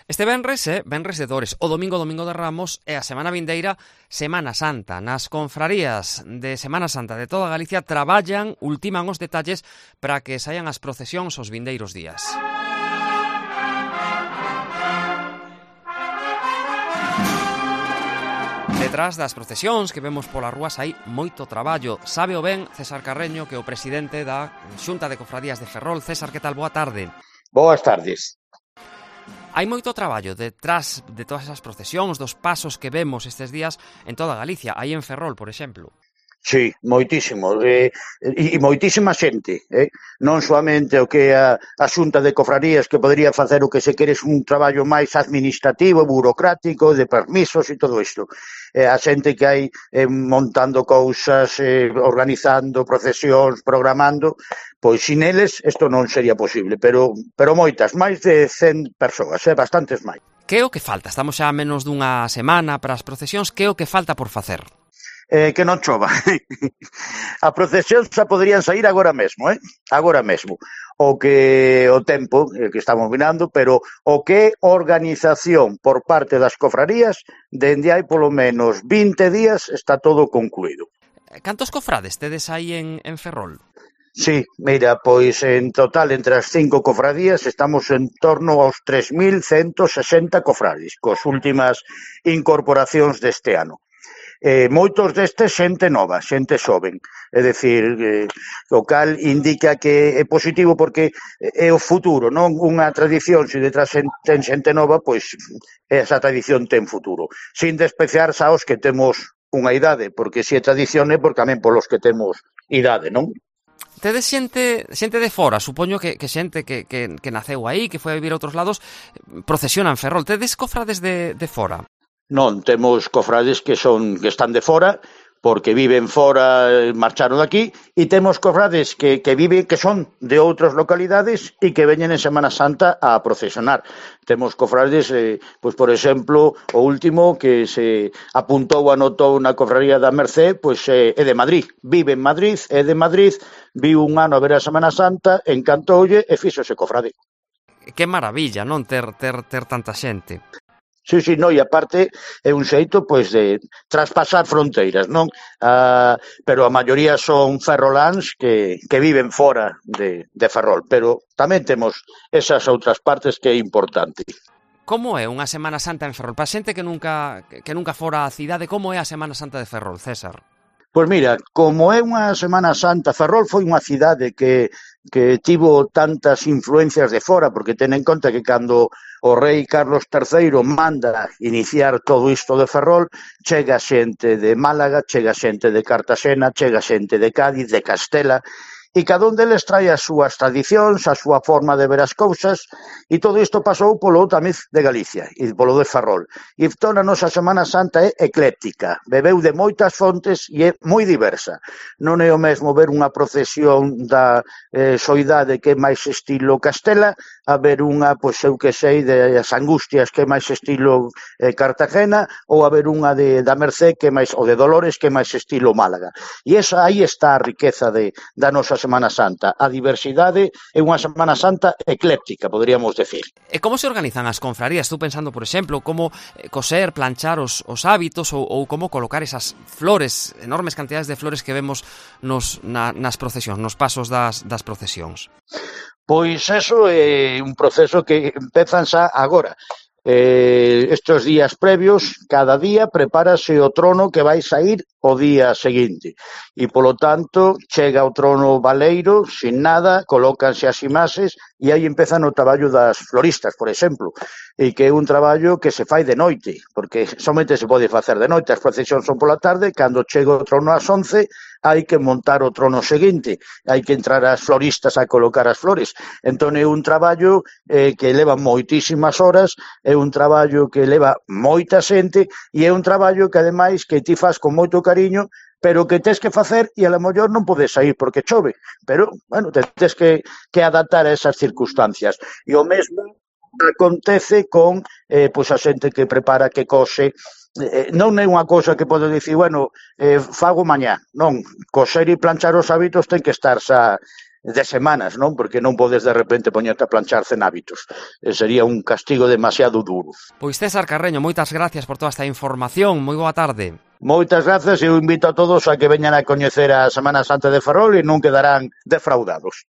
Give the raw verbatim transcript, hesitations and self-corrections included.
Este venres é venres de Dores, o domingo, domingo de Ramos, e a semana vindeira, Semana Santa. Nas confrarías de Semana Santa de toda Galicia traballan, ultiman os detalles para que saian as procesións os vindeiros días. Detrás das procesións que vemos polas rúas hai moito traballo. Sabe o ben César Carreño, que é o presidente da Xunta de Cofradías de Ferrol. César, que tal? Boa tarde. Boas tardes. Hai moito traballo detrás de todas esas procesións, dos pasos que vemos estes días en toda Galicia, aí en Ferrol, por exemplo. Sí, moitísimo, e, e moitísima xente, eh? non soamente o que a, a Xunta de Cofradías, que podría facer o que se queres un traballo máis administrativo, burocrático, de permisos e todo isto. Eh, a xente que hai eh, montando cousas, eh, organizando procesións, programando, pois sin eles isto non sería posible, pero, pero moitas, máis de cen persoas, eh? bastantes máis. Que é o que falta? Estamos xa a menos dunha semana para as procesións, que é o que falta por facer? Eh, que non chova. A procesión xa poderían sair agora mesmo, eh? Agora mesmo. O que o tempo eh, que estamos mirando, pero o que é organización por parte das cofrarías, dende hai polo menos vinte días está todo concluído. Cantos cofrades tedes aí en, en Ferrol? Sí, mira, pois en total entre as cinco cofradías estamos en torno aos tres mil ciento sesenta cofrades, cos últimas incorporacións deste ano. Eh, moitos destes xente nova, xente xoven, é dicir, eh, o cal indica que é positivo porque é o futuro, non unha tradición, se detrás ten xente nova, pois esa tradición ten futuro, sin despreciarse aos que temos unha idade, porque se é tradición é porque tamén polos que temos idade, non? Tedes xente, xente de fora, supoño que, que xente que, que, que naceu aí, que foi a vivir a outros lados, procesiona en Ferrol. Tedes cofrades de, de fora? Non, temos cofrades que son que están de fora, porque viven fora, marcharon daqui, e temos cofrades que, que viven, que son de outras localidades e que veñen en Semana Santa a procesionar. Temos cofrades, eh, pois por exemplo, o último que se apuntou, anotou na cofradía da Mercé, pois eh, é de Madrid, vive en Madrid, é de Madrid, viu un ano a ver a Semana Santa, encantoulle e fíxose cofrade. Que maravilla, non, ter, ter, ter tanta xente. Sí, sí, no, e aparte é un xeito pois de traspasar fronteiras, non? Ah, pero a maioría son ferroláns que, que viven fora de, de Ferrol, pero tamén temos esas outras partes que é importante. Como é unha Semana Santa en Ferrol? Para xente que nunca, que nunca fora a cidade, como é a Semana Santa de Ferrol, César? Pois mira, como é unha Semana Santa, Ferrol foi unha cidade que, que tivo tantas influencias de fora, porque ten en conta que cando o rei Carlos terceiro manda iniciar todo isto de Ferrol, chega xente de Málaga, chega xente de Cartaxena, chega xente de Cádiz, de Castela, e cada un deles trae as súas tradicións, a súa forma de ver as cousas, e todo isto pasou polo tamiz de Galicia, e polo de Ferrol. E toda a nosa Semana Santa é ecléctica, bebeu de moitas fontes e é moi diversa. Non é o mesmo ver unha procesión da eh, soidade que é máis estilo Castela, a ver unha, pois eu que sei, das Angustias que é máis estilo eh, Cartagena, ou a ver unha de, da Mercé que é máis, ou de Dolores que é máis estilo Málaga. E esa, aí está a riqueza de, da nosa Semana Santa. A diversidade é unha Semana Santa ecléptica, poderíamos decir. E como se organizan as confrarías? Estou pensando, por exemplo, como coser, planchar os, os hábitos ou, ou como colocar esas flores, enormes cantidades de flores que vemos nos, na, nas procesións, nos pasos das, das procesións. Pois eso é un proceso que empezan xa agora. Eh, estes días previos, cada día prepárase o trono que vai sair o día seguinte e polo tanto chega o trono baleiro sin nada, colócanse as imaxes e aí empezan o traballo das floristas, por exemplo, e que é un traballo que se fai de noite, porque somente se pode facer de noite, as procesións son pola tarde, cando chega o trono ás once hai que montar o trono seguinte, hai que entrar as floristas a colocar as flores. Entón é un traballo eh, que leva moitísimas horas, é un traballo que leva moita xente e é un traballo que ademais que ti fas con moito cariño, pero que tes que facer e a lo mellor non podes sair porque chove, pero, bueno, te tes que, que adaptar a esas circunstancias. E o mesmo acontece con eh, pois a xente que prepara, que cose. Eh, non é unha cousa que podo dicir, bueno, eh, fago mañá, non, coser e planchar os hábitos ten que estar xa de semanas, non? Porque non podes de repente poñerte a planchar cen hábitos. E sería un castigo demasiado duro. Pois César Carreño, moitas gracias por toda esta información. Moi boa tarde. Moitas grazas e eu invito a todos a que veñan a coñecer a Semana Santa de Ferrol e non quedarán defraudados.